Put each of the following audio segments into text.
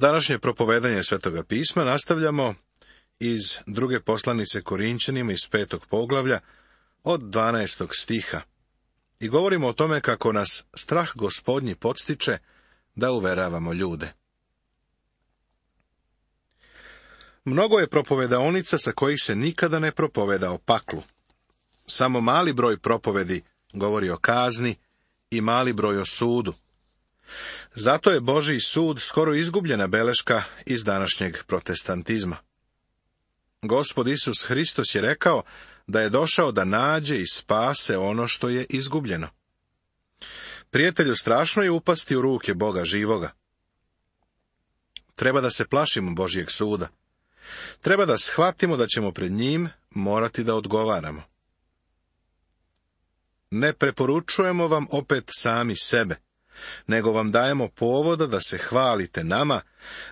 Današnje propovedanje Svetoga pisma nastavljamo iz druge poslanice Korinćanima iz 5. poglavlja od 12. stiha i govorimo o tome kako nas strah Gospodnji podstiče da uveravamo ljude. Mnogo je propovedaonica sa kojih se nikada ne propoveda o paklu. Samo mali broj propovedi govori o kazni i mali broj o sudu. Zato je Božji sud skoro izgubljena beleška iz današnjeg protestantizma. Gospod Isus Hristos je rekao da je došao da nađe i spase ono što je izgubljeno. Prijatelju, strašno je upasti u ruke Boga živoga. Treba da se plašimo Božjeg suda. Treba da shvatimo da ćemo pred njim morati da odgovaramo. Ne preporučujemo vam opet sami sebe, nego vam dajemo povoda da se hvalite nama,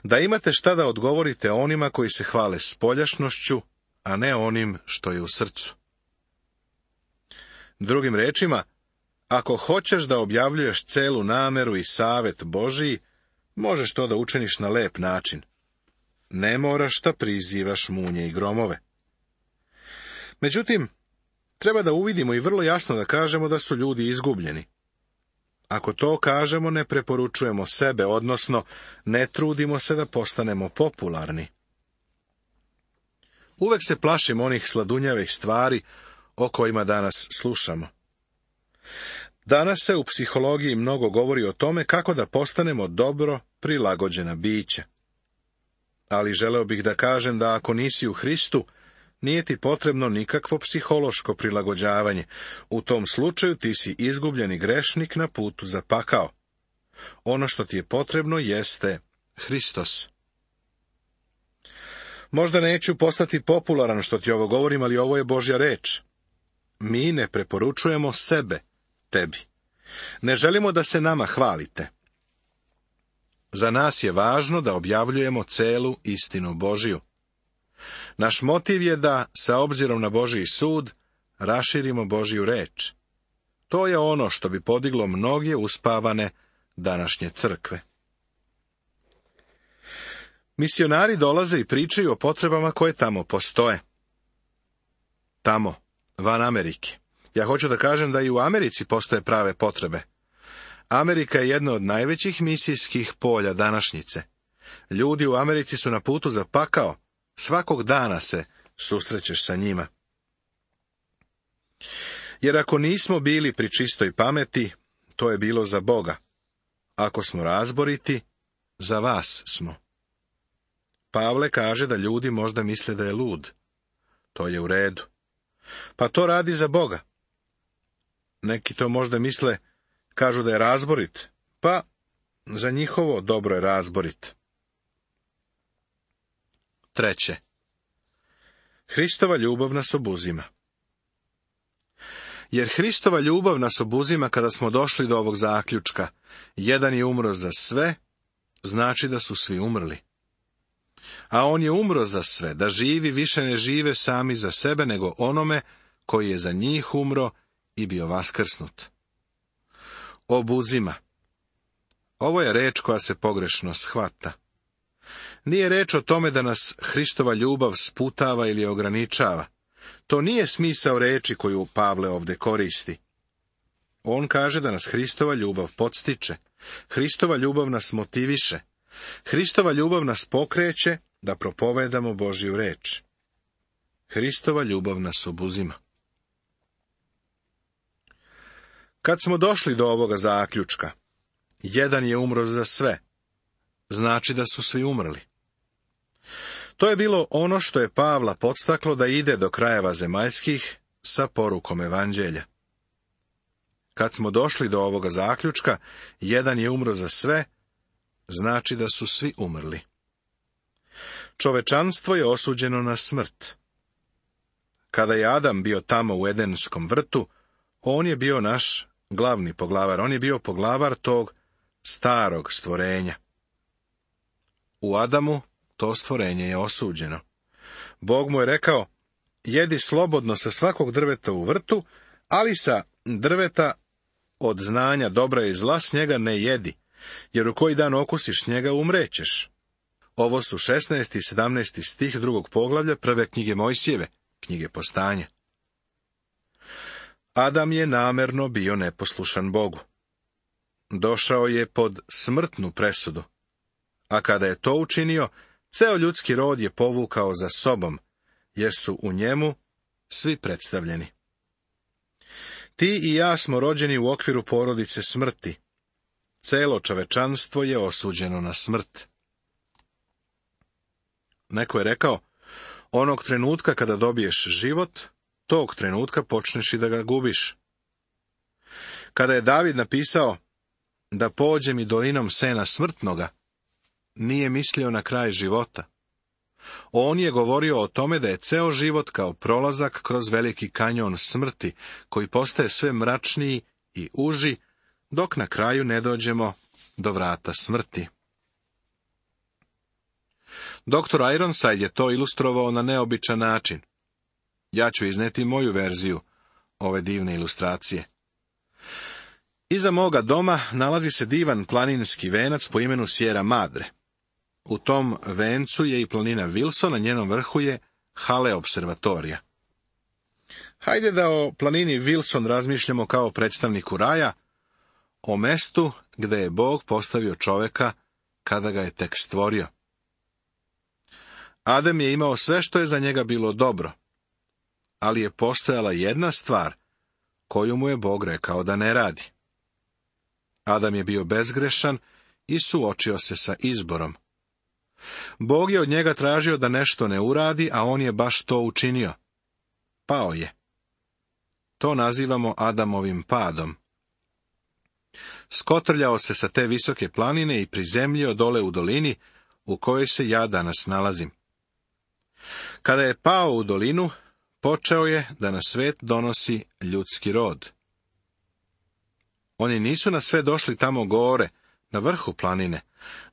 da imate šta da odgovorite onima koji se hvale spoljašnošću, a ne onim što je u srcu. Drugim rečima, ako hoćeš da objavljuješ celu nameru i savet Božiji, možeš to da učiniš na lep način. Ne moraš da prizivaš munje i gromove. Međutim, treba da uvidimo i vrlo jasno da kažemo da su ljudi izgubljeni. Ako to kažemo, ne preporučujemo sebe, odnosno ne trudimo se da postanemo popularni. Uvek se plašimo onih sladunjavih stvari o kojima danas slušamo. Danas se u psihologiji mnogo govori o tome kako da postanemo dobro prilagođena bića. Ali želeo bih da kažem da ako nisi u Hristu, nije ti potrebno nikakvo psihološko prilagođavanje. U tom slučaju ti si izgubljeni grešnik na putu za pakao. Ono što ti je potrebno jeste Hristos. Možda neću postati popularan što ti ovo govorim, ali ovo je Božja reč. Mi ne preporučujemo sebe tebi. Ne želimo da se nama hvalite. Za nas je važno da objavljujemo celu istinu Božiju. Naš motiv je da, sa obzirom na Božji sud, raširimo Božju reč. To je ono što bi podiglo mnoge uspavane današnje crkve. Misionari dolaze i pričaju o potrebama koje tamo postoje. Tamo, van Amerike. Ja hoću da kažem da i u Americi postoje prave potrebe. Amerika je jedno od najvećih misijskih polja današnjice. Ljudi u Americi su na putu za pakao. Svakog dana se susrećeš sa njima. Jer ako nismo bili pri čistoj pameti, to je bilo za Boga. Ako smo razboriti, za vas smo. Pavle kaže da ljudi možda misle da je lud. To je u redu. Pa to radi za Boga. Neki to možda misle, kažu da je razborit, pa za njihovo dobro je razborit. 3. Hristova ljubav nas obuzima. Jer Hristova ljubav nas obuzima kada smo došli do ovog zaključka. Jedan je umro za sve, znači da su svi umrli. A on je umro za sve, da živi više ne žive sami za sebe, nego onome koji je za njih umro i bio vaskrsnut. Obuzima. Ovo je reč koja se pogrešno shvata. Nije reč o tome da nas Hristova ljubav sputava ili ograničava. To nije smisao reči koju Pavle ovde koristi. On kaže da nas Hristova ljubav podstiče. Hristova ljubav nas motiviše. Hristova ljubav nas pokreće da propovedamo Božju reč. Hristova ljubav nas obuzima. Kad smo došli do ovoga zaključka, jedan je umro za sve, znači da su svi umrli. To je bilo ono što je Pavla podstaklo da ide do krajeva zemaljskih sa porukom evanđelja. Kad smo došli do ovoga zaključka, jedan je umro za sve, znači da su svi umrli. Čovečanstvo je osuđeno na smrt. Kada je Adam bio tamo u Edenskom vrtu, on je bio naš glavni poglavar, on je bio poglavar tog starog stvorenja. U Adamu to stvorenje je osuđeno. Bog mu je rekao, jedi slobodno sa svakog drveta u vrtu, ali sa drveta od znanja dobra i zla s njega ne jedi, jer u koji dan okusiš njega umrećeš. Ovo su 16. i 17. stih 2. poglavlja prve knjige Mojsijeve, knjige Postanja. Adam je namerno bio neposlušan Bogu. Došao je pod smrtnu presudu, a kada je to učinio, ceo ljudski rod je povukao za sobom, jer su u njemu svi predstavljeni. Ti i ja smo rođeni u okviru porodice smrti. Celo čovečanstvo je osuđeno na smrt. Neko je rekao, onog trenutka kada dobiješ život, tog trenutka počneš i da ga gubiš. Kada je David napisao da pođem i dolinom sena smrtnoga, nije mislio na kraj života. On je govorio o tome da je ceo život kao prolazak kroz veliki kanjon smrti, koji postaje sve mračniji i uži, dok na kraju ne dođemo do vrata smrti. Dr. Ironside je to ilustrovao na neobičan način. Ja ću izneti moju verziju ove divne ilustracije. Iza moga doma nalazi se divan planinski venac po imenu Sierra Madre. U tom vencu je i planina Wilson, na njenom vrhu je Hale observatorija. Hajde da o planini Wilson razmišljamo kao predstavniku raja, o mestu gde je Bog postavio čoveka kada ga je tek stvorio. Adam je imao sve što je za njega bilo dobro, ali je postojala jedna stvar koju mu je Bog rekao da ne radi. Adam je bio bezgrešan i suočio se sa izborom. Bog je od njega tražio da nešto ne uradi, a on je baš to učinio. Pao je. To nazivamo Adamovim padom. Skotrljao se sa te visoke planine i prizemljio dole u dolini u kojoj se ja danas nalazim. Kada je pao u dolinu, počeo je da na svet donosi ljudski rod. Oni nisu na sve došli tamo gore, na vrhu planine,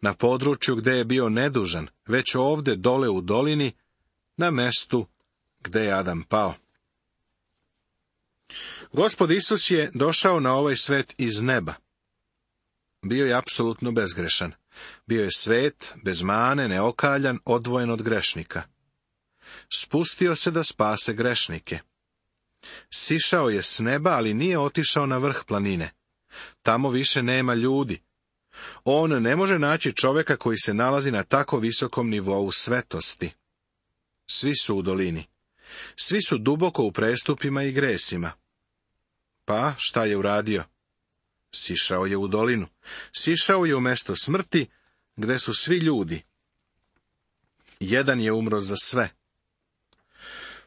na području gde je bio nedužan, već ovde dole u dolini, na mestu gde je Adam pao. Gospod Isus je došao na ovaj svet iz neba. Bio je apsolutno bezgrešan. Bio je svet, bez mane, neokaljan, odvojen od grešnika. Spustio se da spase grešnike. Sišao je s neba, ali nije otišao na vrh planine. Tamo više nema ljudi. On ne može naći čoveka koji se nalazi na tako visokom nivou svetosti. Svi su u dolini. Svi su duboko u prestupima i gresima. Pa, šta je uradio? Sišao je u dolinu. Sišao je u mesto smrti, gde su svi ljudi. Jedan je umro za sve.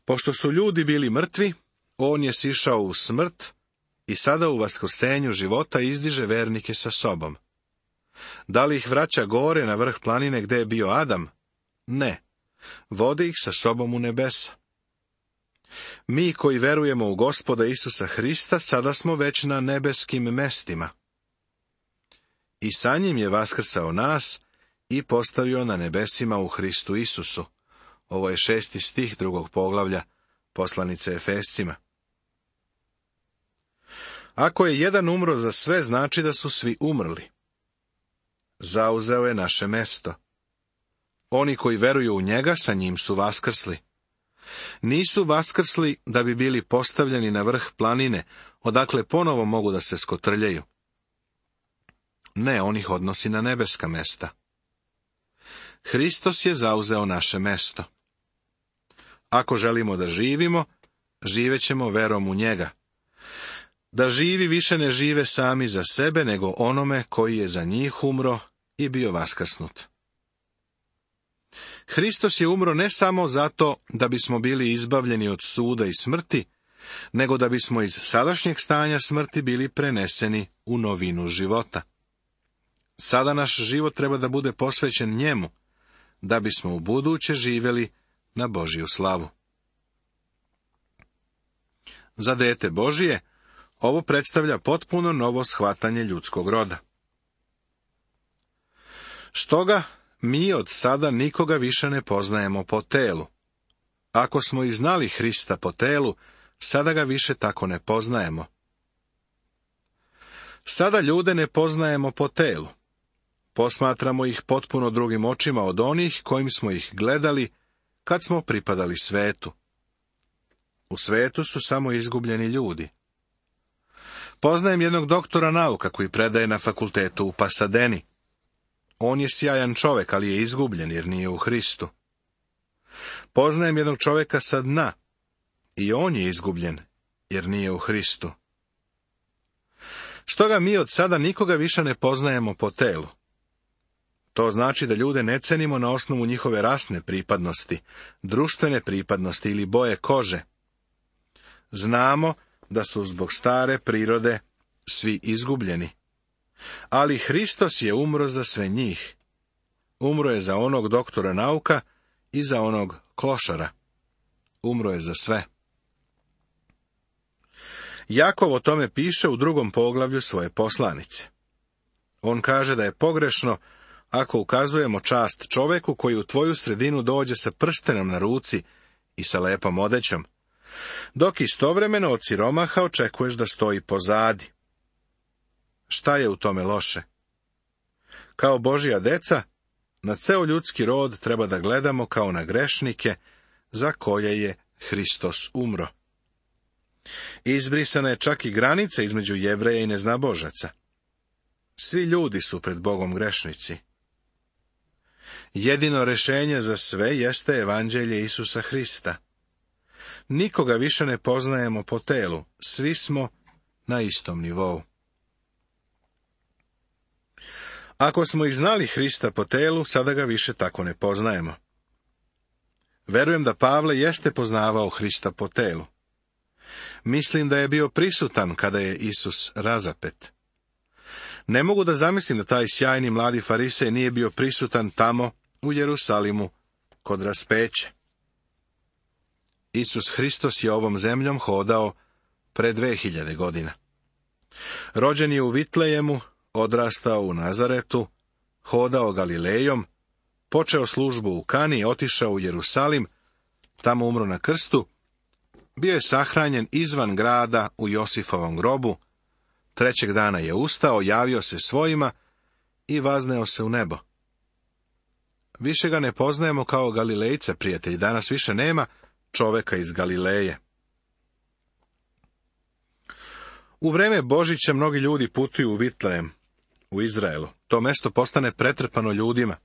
Pošto su ljudi bili mrtvi, on je sišao u smrt i sada u vaskrsenju života izdiže vernike sa sobom. Da li ih vraća gore na vrh planine gde je bio Adam? Ne. Vodi ih sa sobom u nebesa. Mi koji verujemo u Gospoda Isusa Hrista, sada smo već na nebeskim mestima. I sa njim je vaskrsao nas i postavio na nebesima u Hristu Isusu. Ovo je 6. stih 2. poglavlja poslanice Efescima. Ako je jedan umro za sve, znači da su svi umrli. Zauzeo je naše mesto. Oni koji veruju u njega, sa njim su vaskrsli. Nisu vaskrsli da bi bili postavljeni na vrh planine, odakle ponovo mogu da se skotrljaju. Ne, on ih odnosi na nebeska mesta. Hristos je zauzeo naše mesto. Ako želimo da živimo, živećemo verom u njega. Da živi više ne žive sami za sebe, nego onome koji je za njih umro i bio vaskrsnut. Hristos je umro ne samo zato da bismo bili izbavljeni od suda i smrti, nego da bismo iz sadašnjeg stanja smrti bili preneseni u novinu života. Sada naš život treba da bude posvećen njemu, da bismo u buduće živjeli na Božju slavu. Za dete Božije ovo predstavlja potpuno novo shvatanje ljudskog roda. Stoga, mi od sada nikoga više ne poznajemo po telu. Ako smo i znali Hrista po telu, sada ga više tako ne poznajemo. Sada ljude ne poznajemo po telu. Posmatramo ih potpuno drugim očima od onih kojim smo ih gledali kad smo pripadali svetu. U svetu su samo izgubljeni ljudi. Poznajem jednog doktora nauka koji predaje na fakultetu u Pasadeni. On je sjajan čovjek, ali je izgubljen jer nije u Hristu. Poznajem jednog čovjeka sa dna i on je izgubljen jer nije u Hristu. Stoga mi od sada nikoga više ne poznajemo po telu. To znači da ljude ne cenimo na osnovu njihove rasne pripadnosti, društvene pripadnosti ili boje kože. Znamo da su zbog stare prirode svi izgubljeni. Ali Hristos je umro za sve njih. Umro je za onog doktora nauka i za onog klošara. Umro je za sve. Jakov o tome piše u 2. poglavlju svoje poslanice. On kaže da je pogrešno ako ukazujemo čast čoveku koji u tvoju sredinu dođe sa prstenom na ruci i sa lepom odećom, dok istovremeno od siromaha očekuješ da stoji pozadi. Šta je u tome loše? Kao Božja deca, na ceo ljudski rod treba da gledamo kao na grešnike za koje je Hristos umro. Izbrisana je čak i granica između Jevreja i neznabožaca. Svi ljudi su pred Bogom grešnici. Jedino rješenje za sve jeste evanđelje Isusa Hrista. Nikoga više ne poznajemo po telu, svi smo na istom nivou. Ako smo ih znali Hrista po telu, sada ga više tako ne poznajemo. Verujem da Pavle jeste poznavao Hrista po telu. Mislim da je bio prisutan kada je Isus razapet. Ne mogu da zamislim da taj sjajni mladi farisej nije bio prisutan tamo u Jerusalimu kod raspeća. Isus Hristos je ovom zemljom hodao pre 2000 godina. Rođen je u Vitlejemu, odrastao u Nazaretu, hodao Galilejom, počeo službu u Kani, otišao u Jerusalim, tamo umro na krstu, bio je sahranjen izvan grada u Josifovom grobu, 3. dana je ustao, javio se svojima i vazneo se u nebo. Više ga ne poznajemo kao Galilejca, prijatelji, danas više nema čoveka iz Galileje. U vreme Božića mnogi ljudi putuju u Vitlejem, u Izraelu. To mesto postane pretrpano ljudima.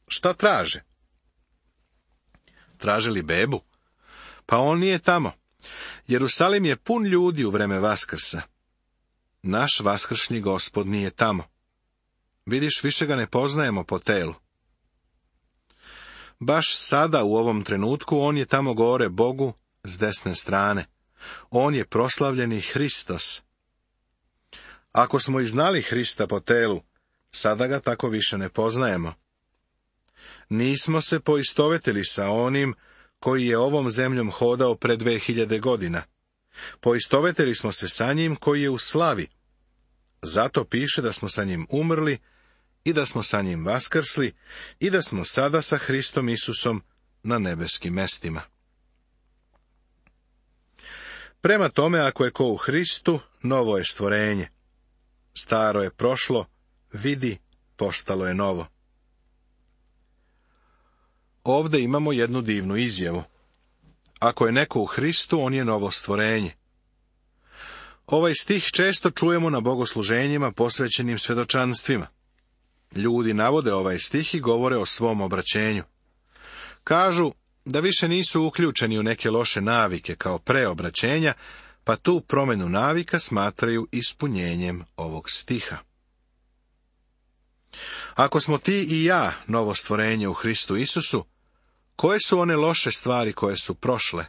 Šta traže? Traže li bebu? Pa on nije tamo. Jerusalim je pun ljudi u vreme Vaskrsa. Naš vaskršnji Gospod nije tamo. Vidiš, više ga ne poznajemo po telu. Baš sada, u ovom trenutku, on je tamo gore Bogu s desne strane. On je proslavljeni Hristos. Ako smo i znali Hrista po telu, sada ga tako više ne poznajemo. Nismo se poistovetili sa onim koji je ovom zemljom hodao pre 2000 godina. Poistovetili smo se sa njim koji je u slavi. Zato piše da smo sa njim umrli i da smo sa njim vaskrsli i da smo sada sa Hristom Isusom na nebeskim mestima. Prema tome, ako je ko u Hristu, novo je stvorenje. Staro je prošlo, vidi, postalo je novo. Ovde imamo jednu divnu izjavu. Ako je neko u Hristu, on je novo stvorenje. Ovaj stih često čujemo na bogosluženjima posvećenim svedočanstvima. Ljudi navode ovaj stih i govore o svom obraćenju. Kažu da više nisu uključeni u neke loše navike kao pre obraćenja, pa tu promjenu navika smatraju ispunjenjem ovog stiha. Ako smo ti i ja novo stvorenje u Hristu Isusu, koje su one loše stvari koje su prošle?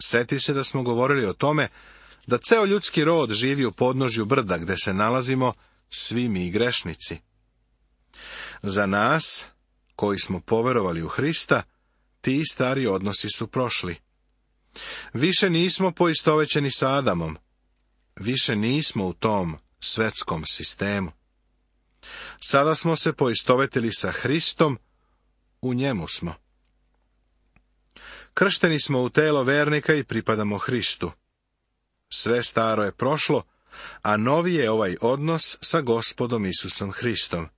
Sjeti se da smo govorili o tome da ceo ljudski rod živi u podnožju brda gde se nalazimo svi mi grešnici. Za nas, koji smo poverovali u Hrista, ti stari odnosi su prošli. Više nismo poistovećeni sa Adamom. Više nismo u tom svetskom sistemu. Sada smo se poistovetili sa Hristom, u njemu smo. Kršteni smo u telo vernika i pripadamo Hristu. Sve staro je prošlo, a novi je ovaj odnos sa Gospodom Isusom Hristom.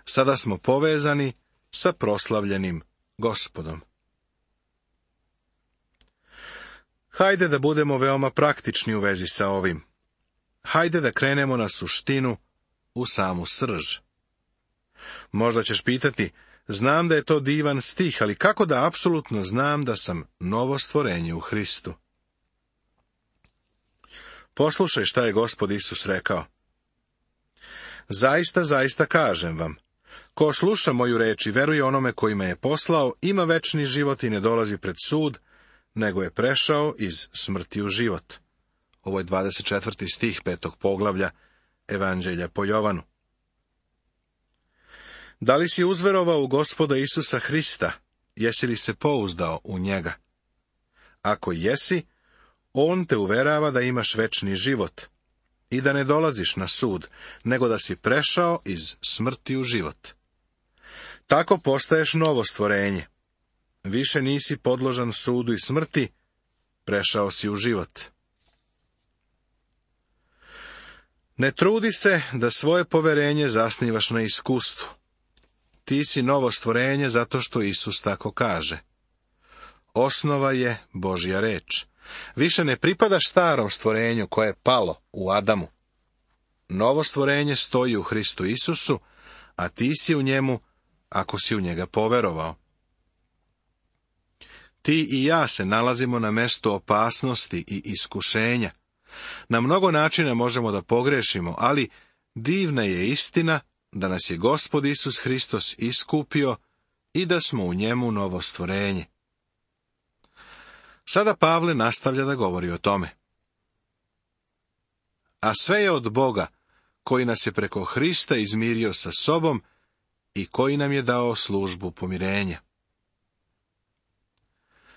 Sada smo povezani sa proslavljenim Gospodom. Hajde da budemo veoma praktični u vezi sa ovim. Hajde da krenemo na suštinu, u samu srž. Možda ćeš pitati, znam da je to divan stih, ali kako da apsolutno znam da sam novo stvorenje u Hristu? Poslušaj šta je Gospod Isus rekao. Zaista, zaista kažem vam, ko sluša moju reč i veruje onome koji me je poslao, ima večni život i ne dolazi pred sud, nego je prešao iz smrti u život. Ovo je 24. stih 5. poglavlja Evanđelja po Jovanu. Da li si uzverovao u Gospoda Isusa Hrista? Jesi li se pouzdao u njega? Ako jesi, on te uverava da imaš večni život i da ne dolaziš na sud, nego da si prešao iz smrti u život. Tako postaješ novo stvorenje. Više nisi podložan sudu i smrti, prešao si u život. Ne trudi se da svoje poverenje zasnivaš na iskustvu. Ti si novo stvorenje zato što Isus tako kaže. Osnova je Božja reč. Više ne pripadaš starom stvorenju koje je palo u Adamu. Novo stvorenje stoji u Hristu Isusu, a ti si u njemu ako si u njega poverovao. Ti i ja se nalazimo na mestu opasnosti i iskušenja. Na mnogo načina možemo da pogrešimo, ali divna je istina da nas je Gospod Isus Hristos iskupio i da smo u njemu novo stvorenje. Sada Pavle nastavlja da govori o tome. A sve je od Boga, koji nas je preko Hrista izmirio sa sobom i koji nam je dao službu pomirenja.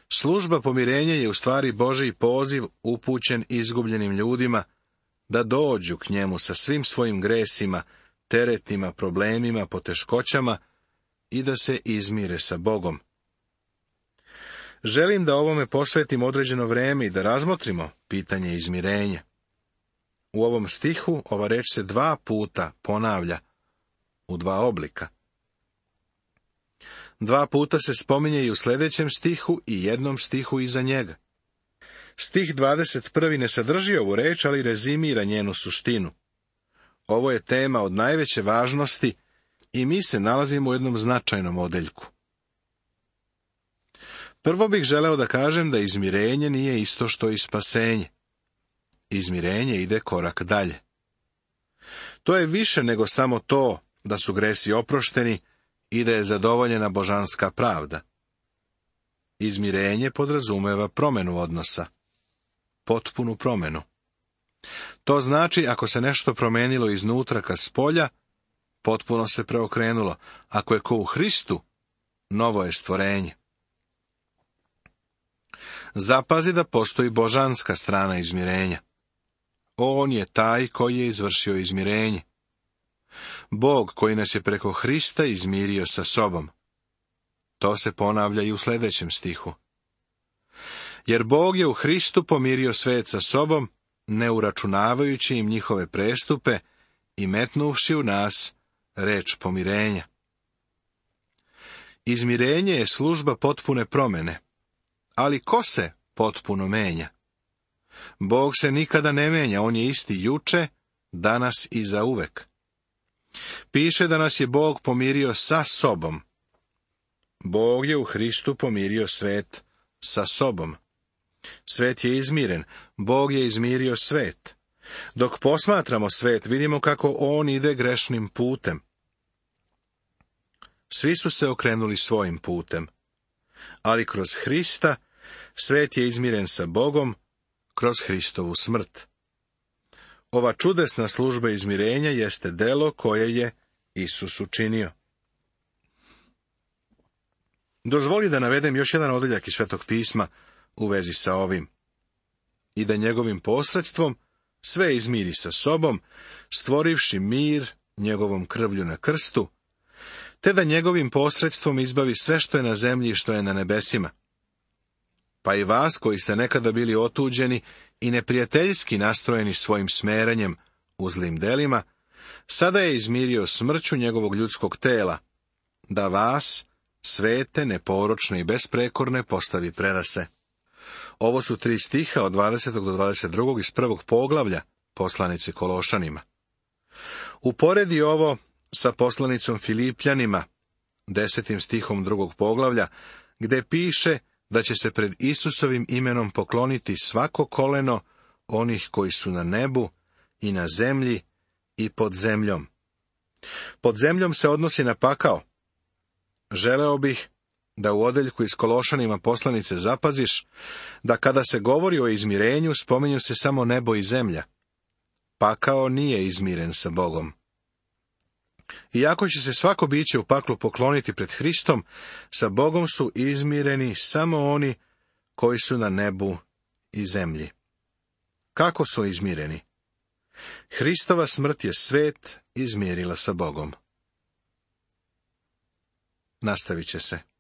Služba pomirenja je u stvari Božji poziv upućen izgubljenim ljudima da dođu k njemu sa svim svojim gresima, teretima, problemima, poteškoćama i da se izmire sa Bogom. Želim da ovome posvetim određeno vreme i da razmotrimo pitanje izmirenja. U ovom stihu ova reč se 2 puta ponavlja, u 2 oblika. 2 puta se spominje i u sljedećem stihu i jednom stihu iza njega. Stih 21. ne sadrži ovu reč, ali rezimira njenu suštinu. Ovo je tema od najveće važnosti i mi se nalazimo u jednom značajnom odeljku. Prvo bih želeo da kažem da izmirenje nije isto što i spasenje. Izmirenje ide korak dalje. To je više nego samo to da su gresi oprošteni i da je zadovoljena božanska pravda. Izmirenje podrazumeva promjenu odnosa. Potpunu promjenu. To znači, ako se nešto promenilo iznutra ka spolja, potpuno se preokrenulo. Ako je ko u Hristu, novo je stvorenje. Zapazi da postoji božanska strana izmirenja. On je taj koji je izvršio izmirenje. Bog koji nas je preko Hrista izmirio sa sobom. To se ponavlja i u sljedećem stihu. Jer Bog je u Hristu pomirio svet sa sobom, ne uračunavajući im njihove prestupe i metnuvši u nas reč pomirenja. Izmirenje je služba potpune promjene. Ali ko se potpuno menja? Bog se nikada ne menja, on je isti juče, danas i zauvek. Piše da nas je Bog pomirio sa sobom. Bog je u Hristu pomirio svet sa sobom. Svet je izmiren, Bog je izmirio svet. Dok posmatramo svet, vidimo kako on ide grešnim putem. Svi su se okrenuli svojim putem. Ali kroz Hrista svet je izmiren sa Bogom, kroz Hristovu smrt. Ova čudesna služba izmirenja jeste delo koje je Isus učinio. Dozvoli da navedem još jedan odeljak iz Svetog pisma u vezi sa ovim. I da njegovim posredstvom sve izmiri sa sobom, stvorivši mir njegovom krvlju na krstu, te da njegovim posredstvom izbavi sve što je na zemlji i što je na nebesima. Pa i vas koji ste nekada bili otuđeni i neprijateljski nastrojeni svojim smeranjem u zlim delima, sada je izmirio smrću njegovog ljudskog tela, da vas, svete, neporočne i besprekorne, postavi predase. Ovo su 3 stiha od 20. do 22. iz 1. poglavlja poslanici Kološanima. Uporedi ovo sa poslanicom Filipljanima, 10. stihom 2. poglavlja, gde piše da će se pred Isusovim imenom pokloniti svako koleno onih koji su na nebu i na zemlji i pod zemljom. Pod zemljom se odnosi na pakao. Želeo bih da u odeljku iz Kološanima poslanice zapaziš da kada se govori o izmirenju, spominju se samo nebo i zemlja. Pakao nije izmiren sa Bogom. Iako će se svako biće u paklu pokloniti pred Hristom, sa Bogom su izmireni samo oni koji su na nebu i zemlji. Kako su izmireni? Hristova smrt je svet izmirila sa Bogom. Nastavit će se.